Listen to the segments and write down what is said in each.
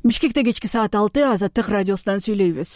Бишкекте кечки саат 6 Азаттык радиосунан сүйлөйбүз.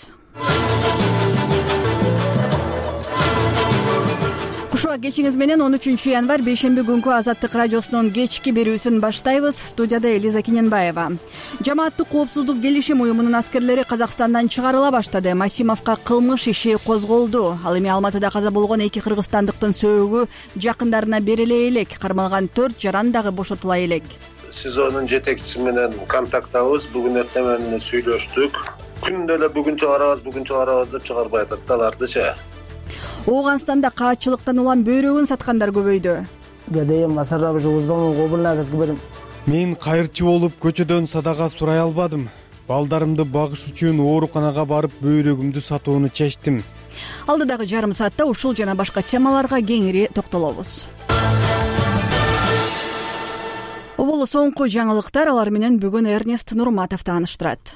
Кушуа кечиңиз менен 13 январь бейшемби күнкү Азаттык радиосунун кечки берүүсүн баштайбыз. Студияда Элиза Киненбаева. Жамааттык коопсуздук келишим уюмунун аскерлери Казакстандан чыгарыла баштады. Масимовго кылмыш иши козголду. Ал эми Алматыда каза болгон 2 кыргызстандыктын сөөгү жакындарына бериле элек. Кармалган 4 жаран дагы бошотула элек. СИЗОнун жетекчиси менен контакттабыз. Бүгүн эртең менен сүйлөштүк. Күндө эле бүгүн чыгарабыз деп чыгарбай атат алардычы. Ооганстанда каачылыктан улам бөйрөгүн саткандар көбөйдү. Мен кайырчы болуп көчөдөн садага сурай албадым. Балдарымды багыш үчүн ооруканага барып бөйрөгүмдү сатууну чечтим. Алдыдагы жарым саатта ушул жана башка темаларга кеңири токтолобуз. Бул соңку жаңылыктар, алар менен бүгүн Эрнест Нурматов тааныштырат.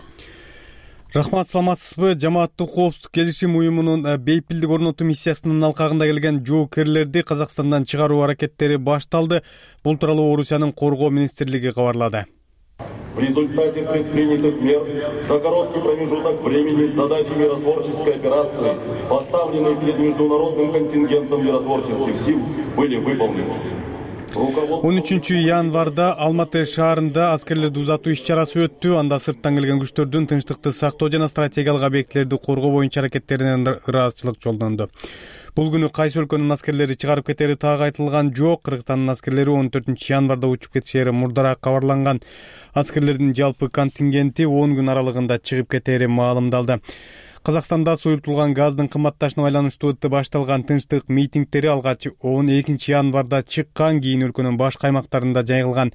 Рахмат, саламатсызбы? Жамааттык коопсуздук келишим уюмунун бейпилдик орнотуу миссиясынын алкагында келген жоокерлерди Казакстандан чыгаруу аракеттери башталды. Бул тууралуу Орусиянын коргоо министрлиги кабарлады. В результате предпринятых мер за короткий промежуток времени задачи миротворческой операции, поставленные перед международным контингентом миротворческих сил, были выполнены. 13 январда Алматы шаарында аскерлерди узатуу иш-чарасы өттү. Анда сырттан келген күчтөрдүн тынчтыкты сактоо жана стратегиялык объектилерди коргоо боюнча аракеттеринен ыраазычылык жолдонду. Бул күнү кайсы өлкөнүн аскерлери чыгарып кетери так айтылган жок. Кыргызстандын аскерлери 14 январда учуп кетишери мурдараак кабарланган. Аскерлердин жалпы контингенти 10 күн аралыгында чыгып кетери маалымдалды. Казакстанда суюртулган газдын кымбатташына байланыштуу башталган тынчтык митингдери алгач 12 январда чыккан, кийин өлкөнүн башка аймактарында жайылган.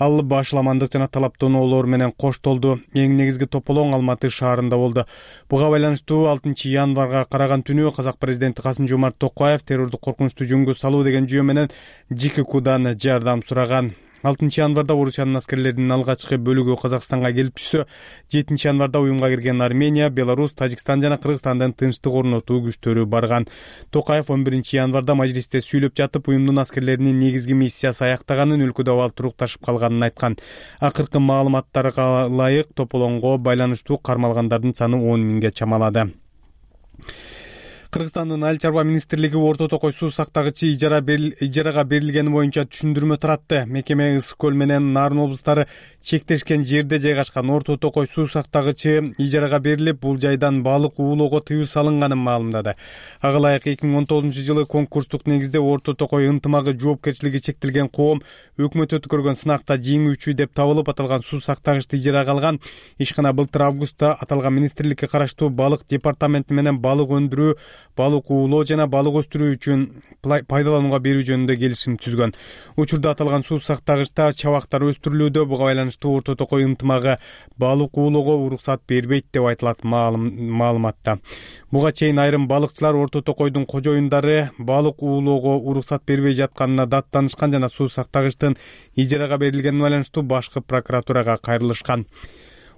Ал башаламандык жана талаптоноолор менен коштолду. Эң негизги тополоң Алматы шаарында болду. Буга байланыштуу 6 январга караган түнү казак президенти Касым-Жомарт Токаев террордук коркунучту жөнгө салуу деген жүйө менен ЖККдан жардам сураган. 6 январда Орусиянын аскерлеринин алгачкы бөлүгү Казакстанга келип түшсө, 7 январда уюмга кирген Армения, Беларусь, Тажикстан жана Кыргызстандын тынчтык орнотуу күчтөрү барган. Токаев 11 январда мажлисте сүйлөп жатып, уюмдун аскерлеринин негизги миссиясы аяктаганын, өлкөдө абал турукташып калганын айткан. Акыркы маалыматтарга ылайык тополоңго байланыштуу кармалгандардын саны 10 миңге чамалады. Кыргызстандын Айыл чарба министрлиги Орто Токой суу сактагычы ижарага берилгени боюнча түшүндүрмө таратты. Мекеме Ысык көл менен Нарын облустары чектешкен жерде жайгашкан Орто Токой суу сактагычы ижарага берилип, бул жайдан балык уулоого тыюу салынганын маалымдады. Ага ылайык 2019-жылы конкурстук негизде Орто Токой ынтымагы жоопкерчилиги чектелген коом өкмөт өткөргөн сынакта жеңүүчү деп табылып, аталган суу сактагычты ижарага алган. Ишкана былтыр августта аталган министрликке караштуу балык департаменти менен балык өндүрүү, балык уулоо жана балык өстүрүү үчүн пайдаланууга берүү жөнүндө келишим түзгөн. Учурда аталган суу сактагычта чабактар өстүрүлүүдө. Буга байланыштуу Орто Токой ынтымагы балык уулоого уруксат бербейт деп айтылат маалыматта. Буга чейин айрым балыкчылар Орто Токойдун кожоюндары балык уулоого уруксат бербей жатканына даттанышкан жана суу сактагычтын ижарага берилгенине байланыштуу башкы прокуратурага кайрылышкан.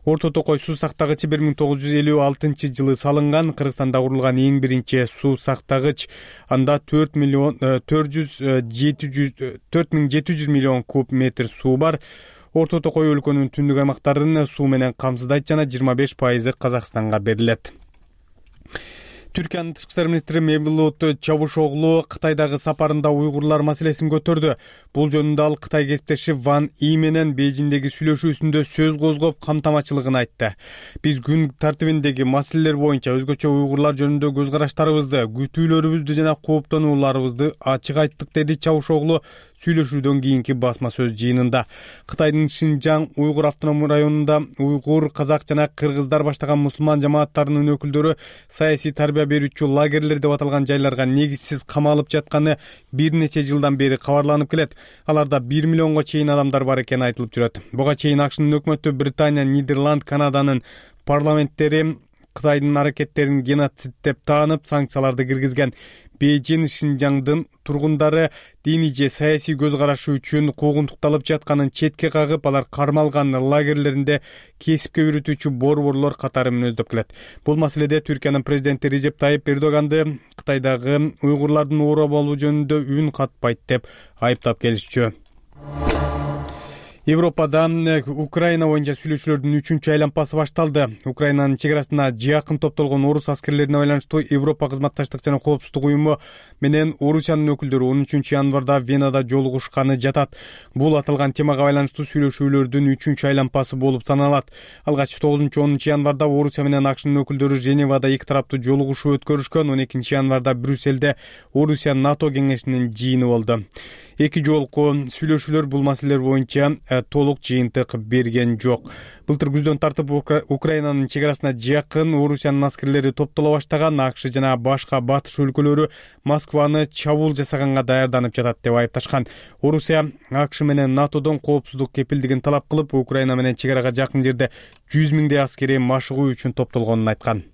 Орто Токой суу сактагычы 1956-жылы салынган. Кыргызстанда курулган эң биринчи суу сактагыч. Анда 4700 миллион куб метр суу бар. Орто Токой өлкөнүн түндүк аймактарын суу менен камсыздайт жана 25% Казакстанга берилет. Түркиянын тышкы иштер министри Мевлут Чавушоглу Кытайдагы сапарында уйгурлар маселесин көтөрдү. Бул жөнүндө ал Кытай кесиптеши Ван И менен Бейжиңдеги сүйлөшүүсүндө сөз козгоп, камтамачылыгын айтты. Биз күн тартибиндеги маселелер боюнча өзгөчө уйгурлар жөнүндө көз караштарыбызды, күтүүлөрүбүздү жана кооптонууларыбызды ачык айттык, деди Чавушоглу сүйлөшүүдөн кийинки басма сөз жыйынында. Кытайдын Шинжаң уйгур автономдук районунда уйгур, казак жана кыргыздар баштаган мусулман жамааттарынын өкүлдөрү саясий тарбия берүүчү лагерлер деп аталган жайларга негизсиз камалып жатканы бир нече жылдан бери кабарланып келет. Аларда 1 миллионго чейин адамдар бар экени айтылып жүрөт. Буга чейин АКШнын өкмөтү, Британия, Нидерланд, Канаданын парламенттери Кытайдын аракеттерин геноцид деп таанып, санкцияларды киргизген. Бейжин Шинжаңдын тургундары диний же саясий көз карашы үчүн куугунтукталып жатканын четке кагып, алар кармалган лагерлеринде кесипке үйрөтүүчү борборлор катары мүнөздөп келет. Бул маселеде Түркиянын президенти Режеп Тайип Эрдоганды Кытайдагы уйгурлардын ооруп алуу жөнүндө үн катпайт деп айыптап келишчү. Европада Украина боюнча сүйлөшүүлөрдүн 3-чү айланпасы башталды. Украинанын чек арасына жакын топтолгон орус аскерлерине байланыштуу Европа кызматташтык жана коопсуздук уюму менен Орусиянын өкүлдөрү 13 январда Венада жолугушканы жатат. Бул аталган темага байланыштуу сүйлөшүүлөрдүн 3-чү айланпасы болуп саналат. Алгач 9-10 январда Орусия менен АКШнын өкүлдөрү Женевада эки тараптуу жолугушуу өткөрүшкөн. 12 январда Брюсселде Орусия НАТО кеңешинин жыйыны болду. Эки жолку сүйлөшүүлөр бул маселелер боюнча толук жыйынтык берген жок. Былтыр күздөн тартып Украинанын чек арасына жакын Орусиянын аскерлери топтоло баштаган. АКШ жана башка батыш өлкөлөрү Москваны чабуул жасаганга даярданып жатат деп айыпташкан. Орусия АКШ менен НАТОдон коопсуздук кепилдигин талап кылып, Украина менен чек арага жакын жерде 100 миңдей аскери машыгуу үчүн топтолгонун айткан.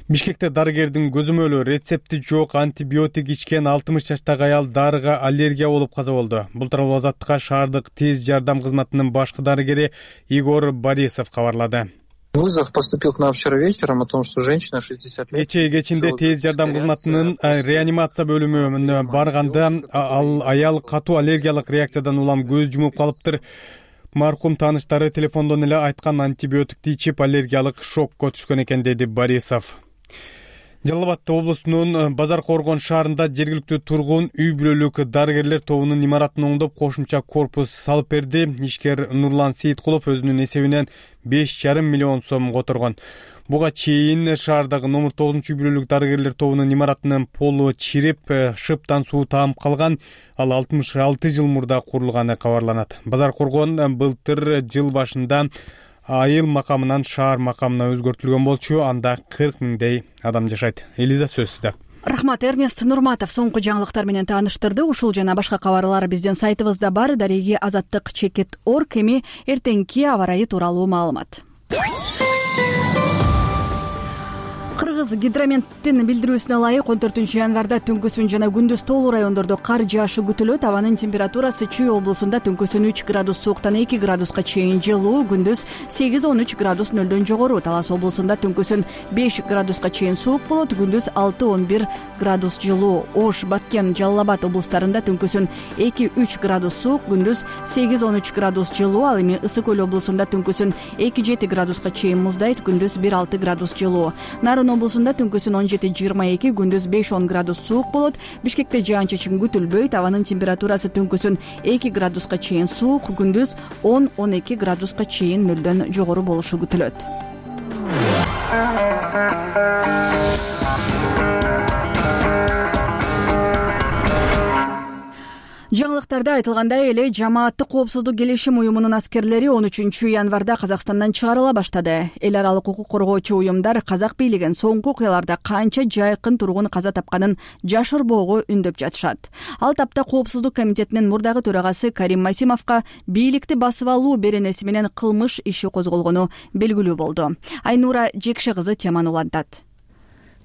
Бишкекте дарыгердин көзөмөлү рецепти жок антибиотик ичкен 60 жаштагы аял дарыга аллергия болуп каза болду. Бул тууралуу Азаттыкка шаардык тез жардам кызматынын башкы дарыгери Игорь Борисов кабарлады. Вызов поступил к нам вчера вечером о том, что женщина 60 лет. Кечинде тез жардам кызматынын реанимация бөлүмүнө барганда ал аял катуу аллергиялык реакциядан улам көз жумуп калыптыр. Маркум тааныштары телефондон эле айткан антибиотикти ичип аллергиялык шокко түшкөн экен, деди Борисов. Жалал Абад облусунун Базар Коргон шаарында жергиликтүү тургун үй бүлөлүк дарыгерлер тобунун имаратын оңдоп кошумча корпус салып берди. Ишкер Нурлан Сейиткулов өзүнүн эсебинен 5,5 миллион сом которгон. Буга чейин шаардагы номер 9 үй бүлөлүк дарыгерлер тобунун имаратынын полу чирип, шыптан суу таап калган. Ал 66 жыл мурда курулганы кабарланат. Базар Коргон былтыр жыл башында айыл макамынан шаар макамына өзгөртүлгөн болчу. Анда 40 миңдей адам жашайт. Элиза, сөз сизде. Рахмат. Эрнест Нурматов соңку жаңылыктар менен тааныштырды. Ушул жана башка кабарлар биздин сайтыбызда бар. Дареги Азаттык.org. Эми эртеңки аба ырайы тууралуу маалымат. Кыргыз гидрометтин билдирүүсүнө ылайык 14 январда түнкүсүн жана күндүз тоолуу райондордо кар жаашы күтүлөт. Абанын температурасы Чүй облусунда түнкүсүн 3 градус сууктан 2 градуска чейин жылуу, күндүз 8-13 градус нөлдөн жогору. Талас облусунда түнкүсүн 5 градуска чейин суук болот, күндүз 6-11 градус жылуу. Ош, Баткен, Жалал Абад облустарында түнкүсүн 2-3 градус суук, күндүз 8-13 градус жылуу. Ал эми Ысык Көл облусунда түнкүсүн 2-7 градуска чейин муздайт, күндүз 1-6 градус жылуу. Нарын облусунда түнкүсүн 17-22, күндүз 5-10 градус суук болот. Бишкекте жаан-чачын күтүлбөйт. Абанын температурасы түнкүсүн 2 градуска чейин суук, күндүз 10-12 градуска чейин нөлдөн жогору болушу күтүлөт. Жаңылыктарда айтылгандай эле Жамааттык коопсуздук келишим уюмунун аскерлери 13 январда Казакстандан чыгарыла баштады. Эл аралык укук коргоочу уюмдар казак бийлигин соңку окуяларда канча жайкын тургун каза тапканын жашырбоого үндөп жатышат. Ал тапта Коопсуздук комитетинин мурдагы төрагасы Карим Масимовго бийликти басып алуу беренеси менен кылмыш иши козголгону белгилүү болду. Айнура Жекше кызы теманы улантат.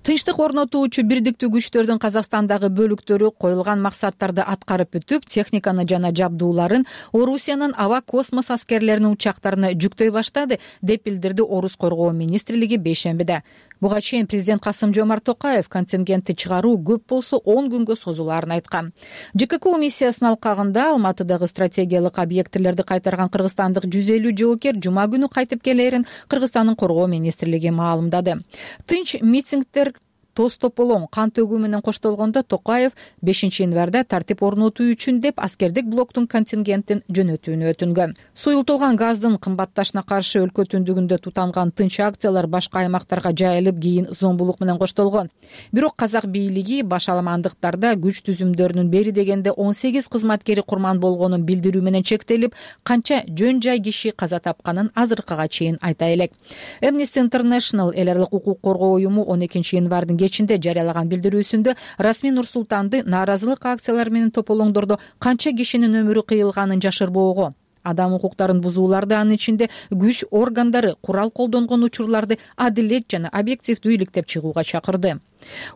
Тынчтык орнотуучу бирдиктүү күчтөрдүн Казакстандагы бөлүктөрү коюлган максаттарды аткарып бүтүп, техниканы жана жабдууларын Орусиянын аба космос аскерлеринин учактарына жүктөй баштады, деп билдирди Орус коргоо министрлиги бейшембиде. Буга чейин президент Касым-Жомарт Токаев контингентти чыгаруу көп болсо 10 күнгө созулаарын айткан. ЖККУ миссиясынын алкагында Алматыдагы стратегиялык объектилерди кайтарган кыргызстандык 150 жоокер жума күнү кайтып келерин Кыргызстандын коргоо министрлиги маалымдады. Тынч митингдер тоз тополоң кан төгүү менен коштолгондо Токаев 5 январда тартип орнотуу үчүн деп аскердик блоктун контингентин жөнөтүүнү өтүнгөн. Суюлтулган газдын кымбатташына каршы өлкө түндүгүндө тутанган тынч акциялар башка аймактарга жайылып, кийин зомбулук менен коштолгон. Бирок казак бийлиги башаламандыктарда күч түзүмдөрүнүн бери дегенде 18 кызматкери курман болгонун билдирүү менен чектелип, канча жөн жай киши каза тапканын азыркыга чейин айта элек. Amnesty International эл аралык укук коргоо уюму 12 январдын кечинде жарыялаган билдирүүсүндө расмий Нур-Султанды нааразылык акциялары менен тополоңдордо канча кишинин өмүрү кыйылганын жашырбоого, адам укуктарын бузууларды, анын ичинде күч органдары курал колдонгон учурларды адилет жана объективдүү иликтеп чыгууга чакырды.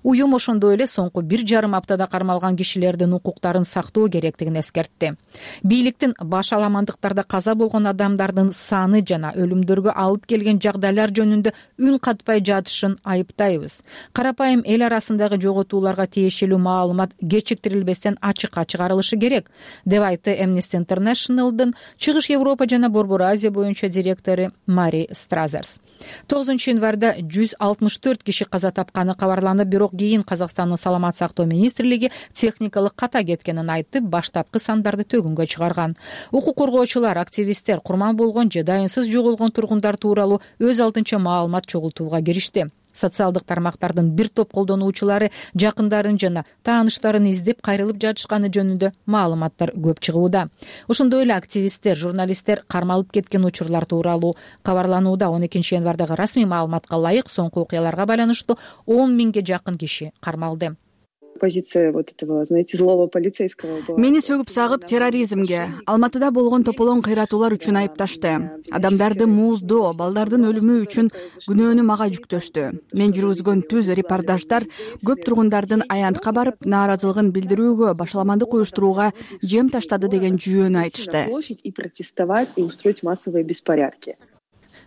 Уюм ошондой эле соңку 1,5 аптада кармалган кишилердин укуктарын сактоо керектигин эскертти. Бийликтин баш аламандыктарда каза болгон адамдардын саны жана өлүмдөргө алып келген жагдайлар жөнүндө үн катпай жатышын айыптайбыз. Карапайым эл арасындагы жоготууларга тиешелүү маалымат кечиктирилбестен ачыкка чыгарылышы керек, деп айтты Amnesty International'дын Чыгыш Европа жана Борбор Азия боюнча директору Мари Стразерс. 9-январда 164 киши каза тапканы кабарланып, бирок кийин Казакстандын саламат сактоо министрлиги техникалык ката кеткенин айтып, баштапкы сандарды төгүнгө чыгарган. Укук коргоочулар, активисттер курман болгон же дайынсыз жоголгон тургундар тууралуу өз алдынча маалымат чогултууга киришти. Социалдык тармактардын бир топ колдонуучулары жакындарын жана тааныштарын издеп кайрылып жатышканы жөнүндө маалыматтар көп чыгууда. Ошондой эле активисттер, журналисттер кармалып кеткен учурлар тууралуу кабарланууда. 12-январдагы расмий маалыматка ылайык соңку окуяларга байланыштуу 10 миңге жакын киши кармалды. Позиция вот этого, знаете, злого полицейского была. Мени сөгүп сагып терроризмге, Алматыда болгон тополоң кыйратуулар үчүн айыпташты. Адамдарды мууздоо, балдардын өлүмү үчүн күнөөнү мага жүктөштү. Мен жүргүзгөн түз репортаждар көп тургундардын аянтка барып, нааразылыгын билдирүүгө, башаламандык уюштурууга жем таштады деген жүйөнү айтышты. И протестовать, и устроить массовые беспорядки.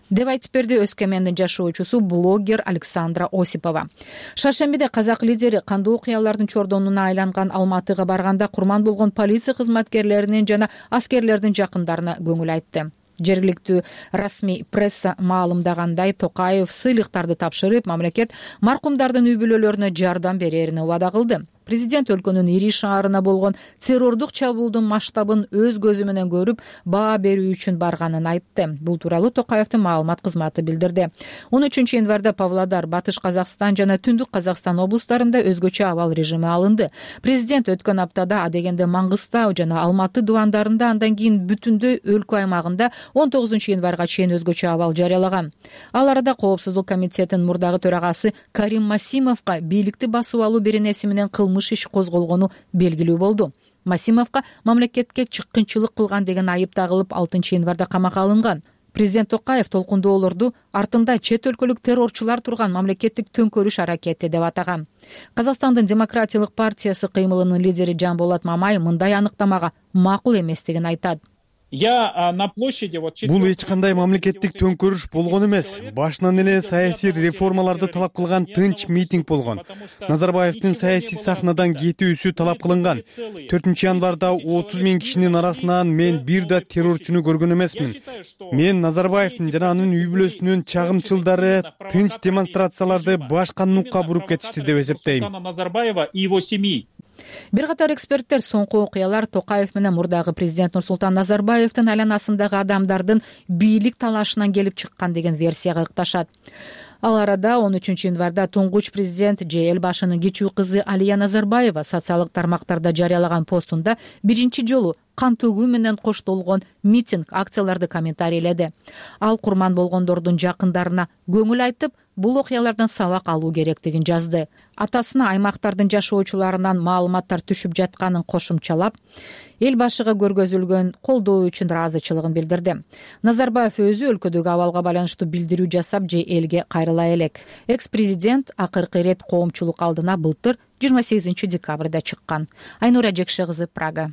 Деп айтып берди Өскөмендин жашоочусу блогер Александра Осипова. Шаршембиде казак лидери кандуу окуялардын чордонуна айланган Алматыга барганда курман болгон полиция кызматкерлеринин жана аскерлердин жакындарына көңүл айтты. Жергиликтүү расмий пресса маалымдагандай, Токаев сыйлыктарды тапшырып, мамлекет маркумдардын үй бүлөлөрүнө жардам берерин убада кылды. Президент өлкөнүн ири шаарына болгон террордук чабуулдун масштабын өз көзү менен көрүп, баа берүү үчүн барганын айтты. Бул тууралуу Токаевдин маалымат кызматы билдирди. 13-январда Павлодар, Батыш Казакстан жана Түндүк Казакстан облустарында өзгөчө абал режими алынды. Президент өткөн аптада адегенде Маңгыстау жана Алматы дубандарында, андан кийин бүтүндөй өлкө аймагында 19-январга чейин өзгөчө абал жарыялаган. Ал арада Коопсуздук комитетинин мурдагы төрагасы Карим Масимовго бийликти басып алуу беренеси менен иш козголгону белгилүү болду. Масимовго мамлекетке чыккынчылык кылган деген айып тагылып 6-январда камакка алынган. Президент Токаев толкундоолорду артында чет өлкөлүк террорчулар турган мамлекеттик төңкөрүш аракети деп атаган. Казакстандын Демократиялык партиясы кыймылынын лидери Жанболот Мамай мындай аныктамага макул эместигин айтат. Бул эч кандай мамлекеттик төңкөрүш болгон эмес. Башынан эле саясий реформаларды талап кылган тынч митинг болгон. Назарбаевдин саясий сахнадан кетүүсү талап кылынган. 4-январда 30 миң кишинин арасынан мен бир да террорчуну көргөн эмесмин. Мен Назарбаевдин жана анын үй бүлөсүнүн чагымчылдары тынч демонстрацияларды башка нукка буруп кетишти деп эсептейм. Бир катар эксперттер соңку окуялар Токаев менен мурдагы президент Нурсултан Назарбаевдин айланасындагы адамдардын бийлик талашынан келип чыккан деген версияга ыкташат. Ал арада 13-январда туңгуч президент же эл башынын кичүү кызы Алия Назарбаева социалдык тармактарда жарыялаган постунда биринчи жолу кан төгүү менен коштолгон митинг, акцияларды комментарийледи. Ал курман болгондордун жакындарына көңүл айтып, бул окуялардан сабак алуу керектигин жазды. Атасына аймактардын жашоочуларынан маалыматтар түшүп жатканын кошумчалап, эл башыга көргөзүлгөн колдоо үчүн ыраазычылыгын билдирди. Назарбаев өзү өлкөдөгү абалга байланыштуу билдирүү жасап же элге кайрыла элек. Экс-президент акыркы ирет коомчулук алдына былтыр 28 декабрда чыккан. Айнура Жекше кызы, Прага.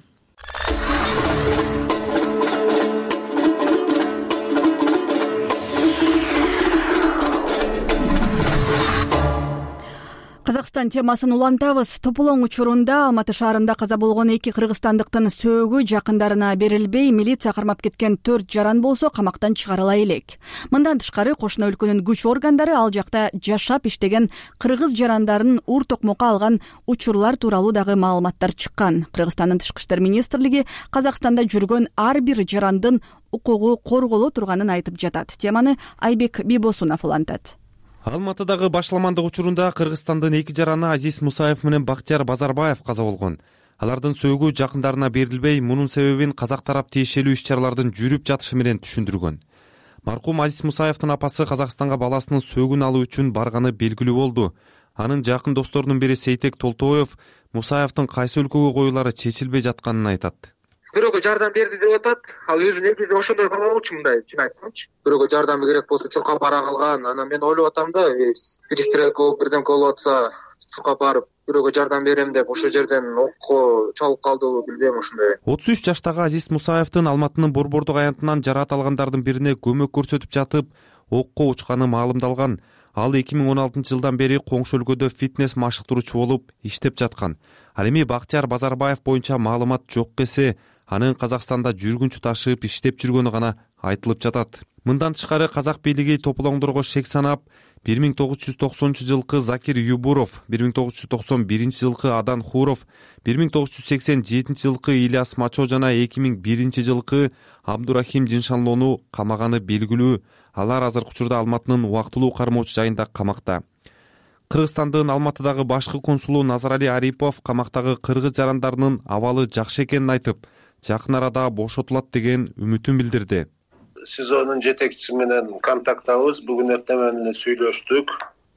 Казакстан темасын улантабыз. Тополоң учурунда Алматы шаарында каза болгон 2 кыргызстандыктын сөөгү жакындарына берилбей, милиция кармап кеткен 4 жаран болсо камактан чыгарыла элек. Мындан тышкары кошуна өлкөнүн күч органдары ал жакта жашап иштеген кыргыз жарандарын ур токмокко алган учурлар тууралуу дагы маалыматтар чыккан. Кыргызстандын тышкы иштер министрлиги Казакстанда жүргөн ар бир жарандын укугу корголо турганын айтып жатат. Теманы Айбек Бибосунов улантат. Алматыдагы башламандык учурунда Кыргызстандын 2 жараны Азиз Мусаев менен Бактияр Базарбаев каза болгон. Алардын сөөгү жакындарына берилбей, мунун себебин казак тарап тиешелүү иш-чаралардын жүрүп жатышы менен түшүндүргөн. Маркум Азиз Мусаевдин апасы Казакстанга баласынын сөөгүн алуу үчүн барганы белгилүү болду. Анын жакын досторунун бири Сейтек Толтоев Мусаевдин кайсы өлкөгө коюлары чечилбей жатканын айтат. Бирөөгө жардам берди деп атат. Ал өзү негизи ошондой бала болчу, мындай чын айтсамчы. Бирөөгө жардам керек болсо чуркап ара кылган. Анан мен ойлоп атам да, перестрелка болуп бирдемке болуп атса, отпускка барып бирөөгө жардам берем деп ошол жерден окко чалып калдыбы билбейм ошондой. 33 жаштагы Азиз Мусаевдин Алматынын Борбордук аянтынан жараат алгандардын бирине көмөк көрсөтүп жатып окко учканы маалымдалган. Ал 2016 жылдан бери коңшу өлкөдө фитнес машыктыруучу болуп иштеп жаткан. Ал эми Бактияр Базарбаев боюнча маалымат жок эсе, анын Казакстанда жүргүнчү ташып иштеп жүргөнү гана айтылып жатат. Мындан тышкары казак бийлиги топулоңдорго шек санап, 1990 жылкы Закир Юбуров, 1991 жылкы Адан Хуров, 1987 жылкы Ильяс Мачо жана 2001 жылкы Абдурахим Жиншанлоону камаганы белгилүү. Алар азыркы учурда Алматынын убактылуу кармоочу жайында камакта. Кыргызстандын Алматыдагы башкы консулу Назарали Арипов камактагы кыргыз жарандарынын абалы жакшы экенин айтып, жакын арада бошотулат деген үмүтүн билдирди. СИЗОнун жетекчиси менен контакттабыз. Бүгүн эртең менен сүйлөштүк.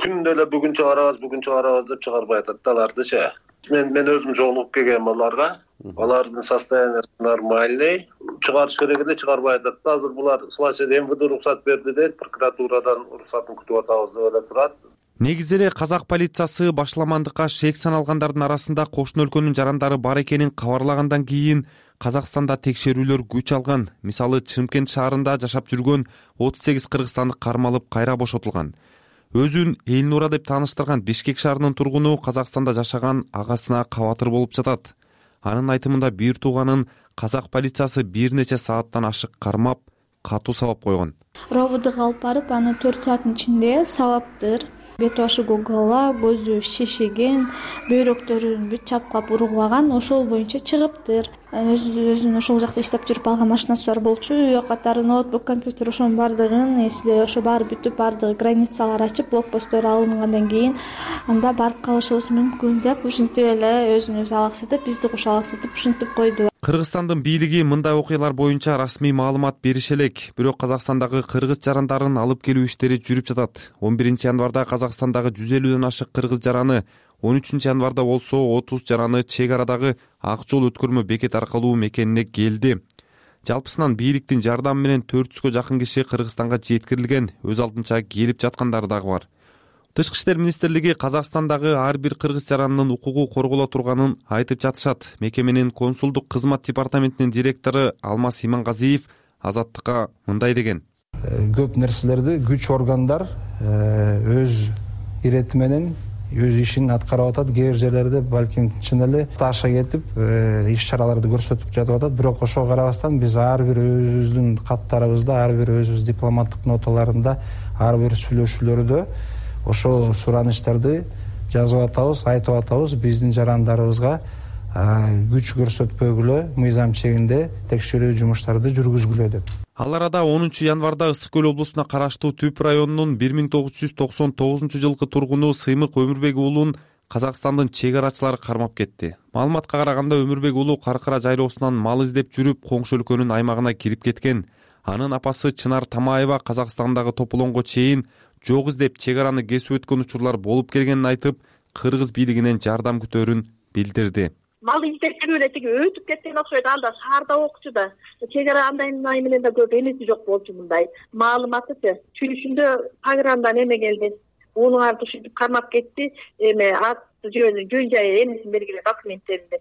Күндө эле бүгүн чыгарабыз деп чыгарбай атат алардычы. Мен өзүм жолугуп келгем аларга. Алардын состояниясы нормальный. Чыгарыш керек эле чыгарбай атат. Азыр булар слайсер МВД уруксат берди дейт, прокуратурадан уруксатын күтүп атабыз деп эле турат. Негизи эле казак полициясы башламандыкка шек саналгандардын арасында кошуна өлкөнүн жарандары бар экенин кабарлагандан кийин Казакстанда текшерүүлөр күч алган. Мисалы, Чымкент шаарында жашап жүргөн 38 кыргызстандык кармалып кайра бошотулган. Өзүн Элнура деп тааныштырган Бишкек шаарынын тургуну Казакстанда жашаган агасына кабатыр болуп жатат. Анын айтымында бир тууганын казак полициясы бир нече сааттан ашык кармап, катуу сабап койгон. Ровдга алып барып, аны 4 сааттын ичинде сабаптыр. Бет башы гогала, көзү шишиген, бөйрөктөрүн бүт чапкылап ургулаган, ошол боюнча чыгыптыр. Өзүнүн ошол жакта иштеп жүрүп алган машинасы бар болчу, үй катары ноутбук, компьютер ошонун баардыгын, эсиле ошо баары бүтүп, баардыгы границалар ачып, блокпосттор алынгандан кийин анда барып калышыбыз мүмкүн деп ушинтип эле өзүн өзү алаксытып, бизди кошо алаксытып ушинтип койду. Кыргызстандын бийлиги мындай окуялар боюнча расмий маалымат берише элек, бирок Казакстандагы кыргыз жарандарын алып келүү иштери жүрүп жатат. 11 январда Казакстандагы 150дөн ашык кыргыз жараны, 13 январда болсо 30 жараны чек арадагы ак жол өткөрмө бекет аркылуу мекенине келди. Жалпысынан бийликтин жардамы менен 400гө жакын киши Кыргызстанга жеткирилген, өз алдынча келип жаткандары дагы бар. Тышкы иштер министрлиги Казакстандагы ар бир кыргыз жаранынын укугу корголо турганын айтып жатышат. Мекеменин консулдук кызмат департаментинин директору Алмаз Имангазиев Азаттыкка мындай деген. Көп нерселерди күч органдар өз ирети менен өз ишин аткарып атат. Кээ бир жерлерде балким чын эле таша кетип иш чараларды көрсөтүп жатып атат. Бирок ошого карабастан биз ар бир өзүбүздүн каттарыбызда, ар бир өзүбүз дипломаттык ноталарында, ар бир сүйлөшүүлөрдө ошо суранычтарды жазып атабыз, айтып атабыз. Биздин жарандарыбызга күч көрсөтпөгүлө, мыйзам чегинде текшерүү жумуштарды жүргүзгүлө деп. Ал арада 10 январда Ысык көл облусуна караштуу Түп районунун 1999 жылкы тургуну Сыймык Өмүрбек уулун Казакстандын чек арачылары кармап кетти. Маалыматка караганда Өмүрбек уулу Каркыра жайлоосунан мал издеп жүрүп, коңшу өлкөнүн аймагына кирип кеткен. Анын апасы Чынар Тамаева Казакстандагы Тополоңго чейин жок издеп чек араны кесип өткөн учурлар болуп келгенин айтып, кыргыз бийлигинен жардам күтөөрүн билдирди. Мал издеп жүрүп эле тиги өтүп кеткен окшойт, анда шаарда окчу да. Чек ара андай менен да көп эмеси жок болчу мындай. Маалыматычы чүрүшүндө программадан эме келди. Унуңарды ушинтип кармап кетти, эме ат жөн жайы эмесин бергиле документтеринде.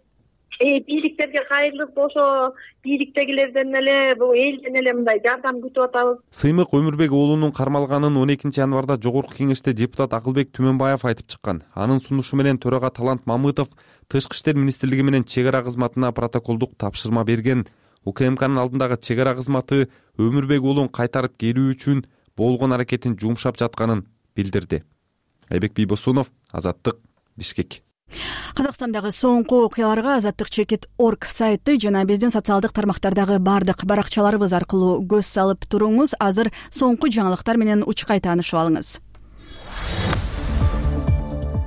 Бийликтерге кайрылып, ошо бийликтегилерден эле, бул элден эле мындай жардам күтүп атабыз. Сыймык Өмүрбек уулунун кармалганын 12 январда Жогорку Кеңеште депутат Акылбек Түмөнбаев айтып чыккан. Анын сунушу менен төрага Талант Мамытов Тышкы иштер министрлиги менен чек ара кызматына протоколдук тапшырма берген. УКМКнын алдындагы чек ара кызматы Өмүрбек уулун кайтарып келүү үчүн болгон аракетин жумшап жатканын билдирди. Айбек Бийбосунов, Азаттык, Бишкек. Казакстандагы соңку окуяларга Азаттык.org сайты жана биздин социалдык тармактардагы бардык баракчаларыбыз аркылуу көз салып туруңуз. Азыр соңку жаңылыктар менен учкай таанышып алыңыз.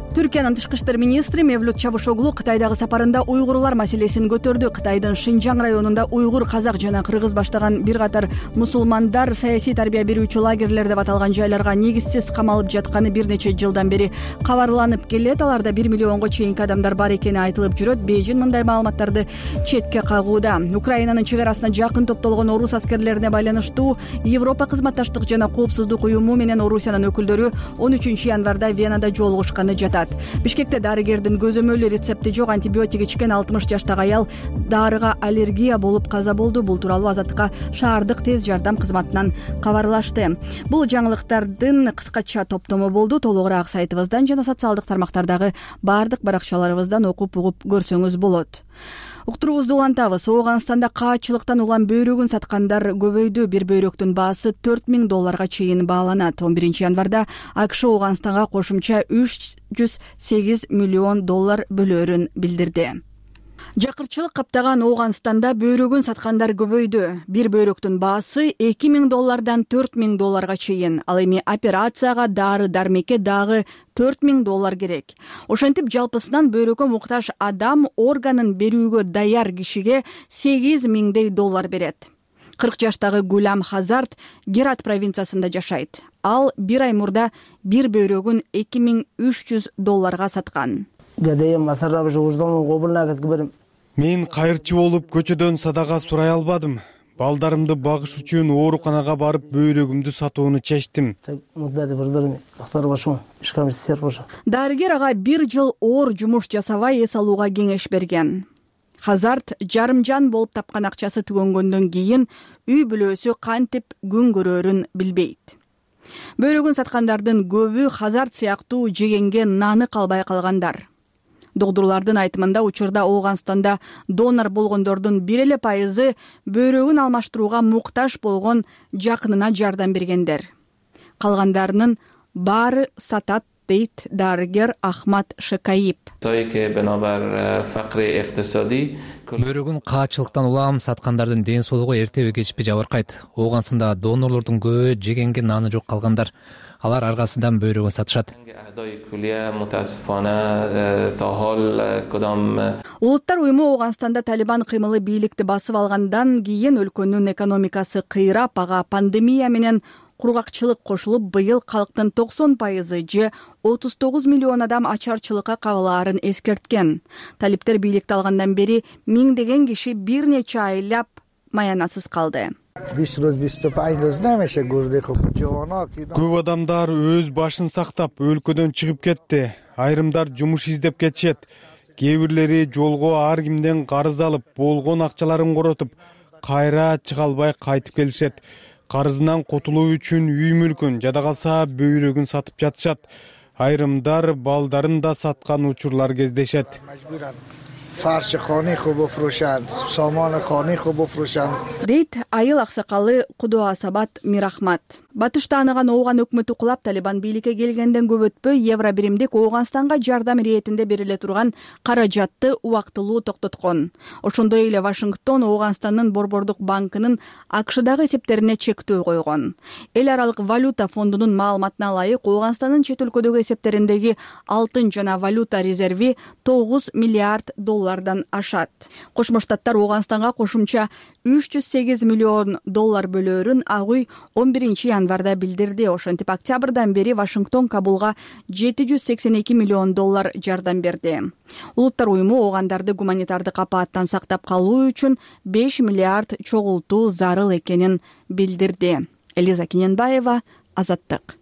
Түркиянын тышкы иштер министри Мевлют Чавушоглу Кытайдагы сапарында уйгурлар маселесин көтөрдү. Кытайдын Шинжаң районунда уйгур, казак жана кыргыз баштаган бир катар мусулмандар саясий тарбия берүүчү лагерлер деп аталган жайларга негизсиз камалып жатканы бир нече жылдан бери кабарланып келет. Аларда 1 миллионго чейинки адамдар бар экени айтылып жүрөт. Бейжин мындай маалыматтарды четке кагууда. Украинанын чек арасына жакын топтолгон орус аскерлерине байланыштуу Европа кызматташтык жана коопсуздук уюму менен Орусиянын өкүлдөрү 13 январда Венада жолугушканы жатат. жатат. Бишкекте дарыгердин көзөмөлү рецепти жок антибиотик ичкен 60 жаштагы аял дарыга аллергия болуп каза болду. Бул тууралуу Азаттыкка шаардык тез жардам кызматынан кабарлашты. Бул жаңылыктардын кыскача топтому болду. Толугураак сайтыбыздан жана социалдык тармактардагы баардык баракчаларыбыздан окуп угуп көрсөңүз болот. Уктуруубузду улантабыз. Ооганстанда каачылыктан улам бөйрөгүн саткандар көбөйдү. Бир бөйрөктүн баасы $4000 чейин бааланат. 11 январда АКШ Ооганстанга кошумча $308 миллион бөлөөрүн билдирди. Жакырчылык каптаган Ооганстанда бөйрөгүн саткандар көбөйдү. Бир бөйрөктүн баасы $2000 $4000 чейин. Ал эми операцияга дары-дармекке дагы $4000 керек. Ошентип жалпысынан бөйрөгкө муктаж адам органын берүүгө даяр кишиге $8000 берет. 40 жаштагы Гулам Хазарт Герат провинциясында жашайт. Ал бир ай мурда бир бөйрөгүн $2300 саткан. Мен кайырчы болуп көчөдөн садага сурай албадым. Балдарымды багыш үчүн ооруканага барып бөйрөгүмдү сатууну чечтим. Дарыгер ага 1 жыл оор жумуш жасабай эс алууга кеңеш берген. Хазарт жарымжан болуп тапкан акчасы түгөнгөндөн кийин үй бүлөсү кантип күн көрөрүн билбейт. Бөйрөгүн саткандардын көбү Хазарт сыяктуу жегенге наны калбай калгандар. Доктурлардын айтымында учурда Ооганстанда донор болгондордун 1% бөйрөгүн алмаштырууга муктаж болгон жакынына жардам бергендер. Калгандарынын баары сатат дейт дарыгер Ахмат Шекаип. Бөйрөгүн каачылыктан улам саткандардын ден соолугу эртеби кечпи жабыркайт. Ооганстанда донорлордун көбү жегенге наны жок калгандар. Алар аргасынан бөйрөгүн сатышат. Улуттар уюму Ооганстанда Талибан кыймылы бийликти басып алгандан кийин өлкөнүн экономикасы кыйрап, ага пандемия менен кургакчылык кошулуп, быйыл калктын 90% же 39 миллион адам ачарчылыкка кабылаарын эскерткен. Талиптер бийликти алгандан бери миңдеген киши бир нече айлап маянасыз калды. Көп адамдар өз башын сактап өлкөдөн чыгып кетти. Айрымдар жумуш издеп кетишет. Кээ бирлери жолго ар кимден карыз алып, болгон акчаларын коротуп, кайра чыга албай кайтып келишет. Карызынан котулуу үчүн үй мүлкүн, жада калса бөйрөгүн сатып жатышат. Айрымдар балдарын да саткан учурлар кездешет. Дейт айыл аксакалы Кудуасабат Мирахмат. Батышта аныган Ооган өкмөтү кулап, Талибан бийликке келгенден көп өтпөй евро биримдик Ооганстанга жардам иретинде бериле турган каражатты убактылуу токтоткон. Ошондой эле Вашингтон Ооганстандын Борбордук банкынын АКШдагы эсептерине чектөө койгон. Эл аралык валюта фондунун маалыматына ылайык, Ооганстандын чет өлкөдөгү эсептериндеги алтын жана валюта резерви $9 миллиард ашат. Кошмо Штаттар Ооганстанга кошумча $308 миллион бөлөөрүн агуй 11 январда билдирди. Ошентип октябрдан бери Вашингтон Кабулга $782 миллион жардам берди. Улуттар уюму оогандарды гуманитардык апааттан сактап калуу үчүн $5 миллиард чогултуу зарыл экенин билдирди. Элиза Киненбаева, Азаттык.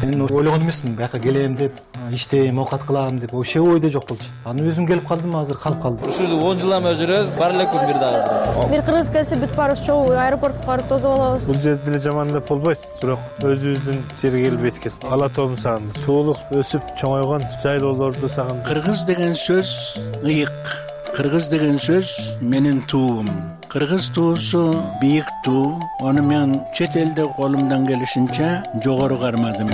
Мен ойлогон эмесмин, бияка келем деп, иштейм, оокат кылам деп, вообще ойдо жок болчу. Аны өзүм келип калдым, азыр калып калдым. Ушул 10 жылдан бери жүрөбүз, бар эле күн бир дагы. Бир кыргыз келсе бүт баарыбыз чогуу аэропортко барып тосуп алабыз. Бул жерде деле жаман деп болбойт, бирок өзүбүздүн жерге келип эткет. Ала тоом сагындым. Туулук өсүп чоңойгон жайлоолорду сагындым. Кыргыз деген сөз ыйык. Кыргыз деген сөз менин туум. Кыргыз туусу бийик туу. Аны мен чет элде колумдан келишинче жогору кармадым.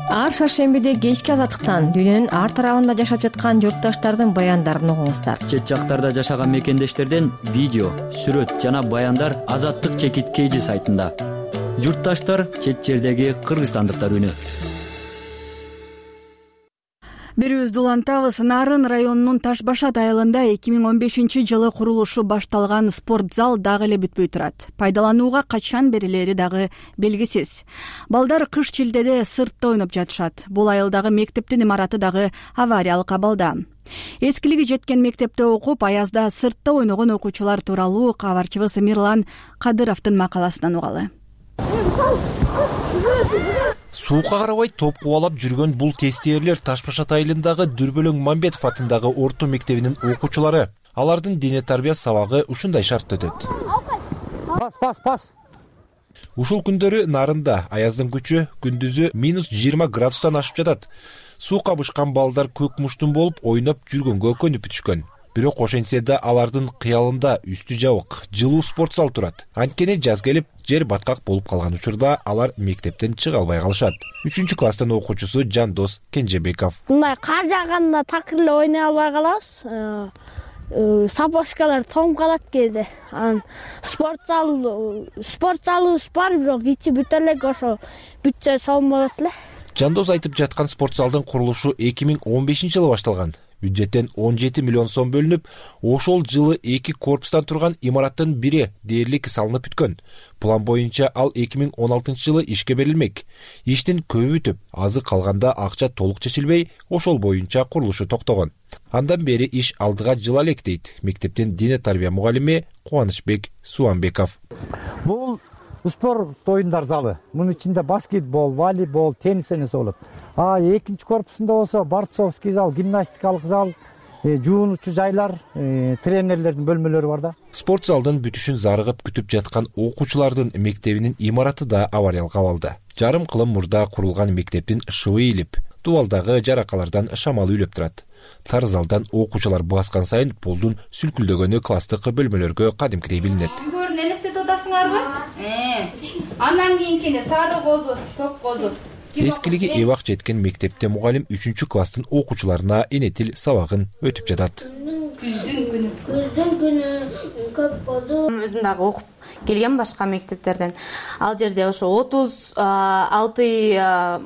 Ар шаршембиде кечки азаттыктан дүйнөнүн ар тарабында жашап жаткан журтташтардын баяндарын угуңуздар. Чет жактарда жашаган мекендештерден видео, сүрөт жана баяндар Азаттык ЧК сайтында. Журтташтар чет жердеги кыргызстандыктар үнү. Берүүбүздү улантабыз. Нарын районунун Ташбашат айылында 2015 жылы курулушу башталган спорт зал дагы эле бүтпөй турат. Пайдаланууга качан берилери дагы белгисиз. Балдар кыш чилдеде сыртта ойноп жатышат. Бул айылдагы мектептин имараты дагы авариялык абалда. Эскилиги жеткен мектепте окуп, аязда сыртта ойногон окуучулар тууралуу кабарчыбыз Мирлан Кадыровдун макаласынан угалы. Суукка карабай топ кубалап жүргөн бул тестиерлер Таш Башат айылындагы Дүрбөлөң Мамбетов атындагы орто мектебинин окуучулары. Алардын дене тарбия сабагы ушундай шартта өтөт. Пас. Ушул күндөрү нарында аяздын күчү күндүзү -20 градустан ашып жатат. Суу кабышкан балдар көк муштун болуп ойноп жүргөнгө көнүп бүтүшкөн. Бирок ошентсе да алардын кыялында үстү жабык, жылуу спорт зал турат. Анткени жаз келип, жер баткак болуп калган учурда алар мектептен чыга албай калышат. 3-класстын окуучусу Жандос Кенжебеков. Мындай кар жааганда такыр эле ойной албай калабыз. Сапожкалар том калат кээде. Спорт залыбыз бар, бирок ичи бүтө элек, ошо бүтсө сом болот эле. Жандос айтып жаткан спорт залдын курулушу 2015-жылы башталган. Бюджеттен 17 миллион сом бөлүнүп, ошол жылы 2 корпустан турган имараттын бири дээрлик салынып бүткөн. План боюнча ал 2016-жылы ишке берилмек. Иштин көбү бүтүп, азы калганда акча толук чечилбей, ошол боюнча курулушу токтогон. Андан бери иш алдыга жыла элек дейт мектептин дене тарбия мугалими Кубанычбек Суанбеков. Бул спорт оюндар залы. Мунун ичинде баскетбол, волейбол, теннис ойносо болот. Экинчи корпусунда болсо борцовский зал, гимнастикалык зал, жуунуучу жайлар, тренерлердин бөлмөлөрү бар да. Спорт залдын бүтүшүн зарыгып күтүп жаткан окуучулардын мектебинин имараты да авариялык абалда. Жарым кылым мурда курулган мектептин шыбы ийилип, дубалдагы жаракалардан шамал үйлөп турат. Сары залдан окуучулар баскан сайын полдун сүлкүлдөгөнү класстык бөлмөлөргө кадимкидей билинет. Көрүн элестетип атасыңарбы? Андан кийинкине сары козу, көк козу. Эскилиги эбак жеткен мектепте мугалим 3-класстын окуучуларына энетил сабагын өтүп жатат. Күздүн күнү көк козу. Өзүм дагы окуп келген башка мектептерден. Ал жерде ошо 36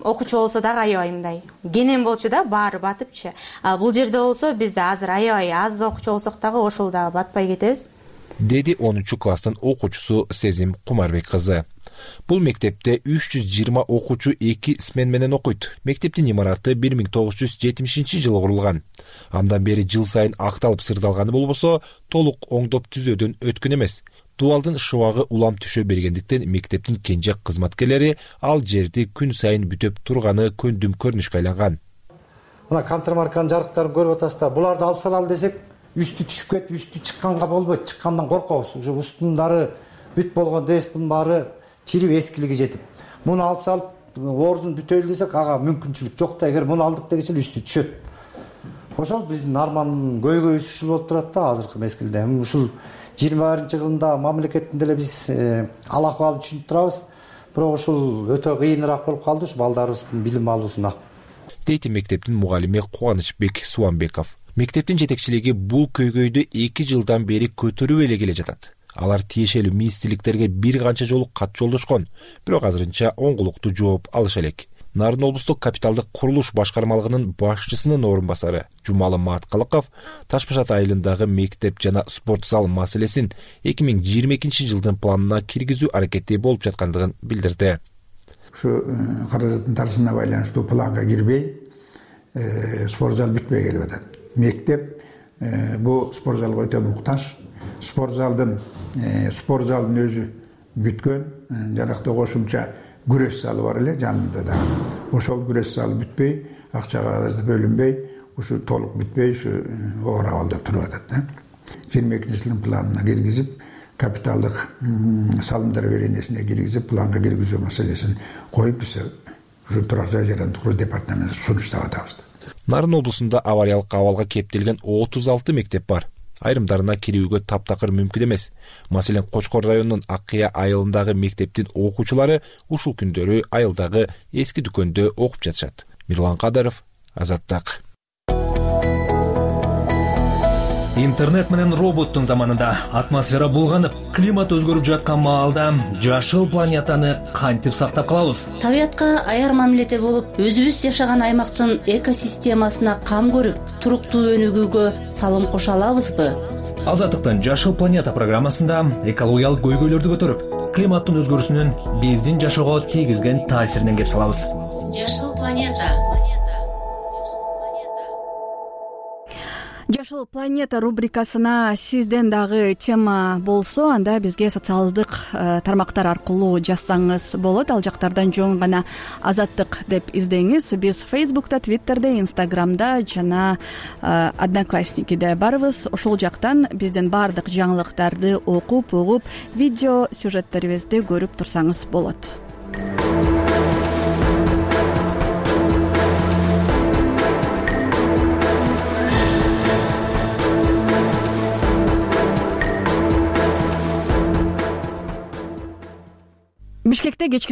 окуучу болсо дагы аябай мындай кенен болчу да, баары батыпчы. Бул жерде болсо бизде азыр аябай аз окуучу болсок дагы ошол дагы батпай кетебиз. Деди 10-класстын окуучусу Сезим Кумарбек кызы. Бул мектепте 320 окуучу 2 смен менен окуйт. Мектептин имараты 1970-жылы курулган. Андан бери жыл сайын акталып сырдалганы болбосо, толук оңдоп түзөөдөн өткөн эмес. Дубалдын шыбагы улам түшө бергендиктен мектептин кенже кызматкерлери ал жерди күн сайын бүтөп турганы көндүм көрүнүшкө айланган. Мына контрмарканын жарыктарын көрүп атасыздар. Буларды алып салалы десек, үстү түшүп кетип, үстү чыкканга болбойт. Чыккандан коркобуз. Ушу устундары бүт болгон деспин баары чирип эскилиги жетип. Муну алып салып, ордун бүтөйлү десек, ага мүмкүнчүлүк жок да. Эгер муну алдык дегенче үстү түшөт. Ошол биздин армандын көйгөй ушул болуп турат да азыркы мезгилде. Ушул 21-жылында мамлекеттин деле биз ал акыбалын түшүнүп турабыз. Бирок ушул өтө кыйыныраак болуп калды ушу балдарыбыздын билим алуусуна. Дейт мектептин мугалими Кубанычбек Суанбеков. Мектептин жетекчилиги бул көйгөйдү 2 жылдан бери көтөрүп эле келе жатат. Алар тиешелүү министрликтерге бир канча жолу кат жолдошкон, бирок азырынча оңгулуктуу жооп алыша элек. Нарын облустук капиталдык курулуш башкармалыгынын башчысынын орун басары Жумалы Маткалыков Таш Башат айылындагы мектеп жана спорт зал маселесин 2022-жылдын планына киргизүү аракети болуп жаткандыгын билдирди. Ушу каражаттын тарышына байланыштуу планга кирбей, спорт зал бүтпөй келип атат. Мектеп бул спорт залга өтө муктаж. Спорт залдын өзү бүткөн, жанакта кошумча күрөш залы бар эле жанында да. Ошол күрөш залы бүтпөй, акчага бөлүнбөй, ушу толук бүтпөй, ушу оор абалда туруп атат да. 22-жылдын планына киргизип, капиталдык салымдар беренесине киргизип, планга киргизүү маселесин коюп, биз ушу турак жай жарандык куруу департаментине сунуштап атабыз. Нарын облусунда авариялык абалга кептелген 36 мектеп бар. Айрымдарына кирүүгө таптакыр мүмкүн эмес. Маселен, Кочкор районунун Аккыя айылындагы мектептин окуучулары ушул күндөрү айылдагы эски дүкөндө окуп жатышат. Мирлан Кадаров, Азаттык. Интернет менен роботтун заманында атмосфера булганып, климат өзгөрүп жаткан маалда жашыл планетаны кантип сактап калабыз? Табиятка аяр мамиледе болуп, өзүбүз жашаган аймактын экосистемасына кам көрүп, туруктуу өнүгүүгө салым кошо алабызбы? Азаттыктын Жашыл планета программасында экологиялык көйгөйлөрдү көтөрүп, климаттын өзгөрүүсүнүн биздин жашоого тийгизген таасиринен кеп салабыз. Жашыл планета. Жашыл планета рубрикасына сизден дагы тема болсо, анда бизге социалдык тармактар аркылуу жазсаңыз болот. Ал жактардан жөн гана Азаттык деп издеңиз. Биз Фейсбукта, Твиттерде, Инстаграмда жана Одноклассникиде барбыз. Ошол жактан биздин баардык жаңылыктарды окуп, угуп, видео сюжеттерибизди көрүп турсаңыз болот. Бишкекте кечки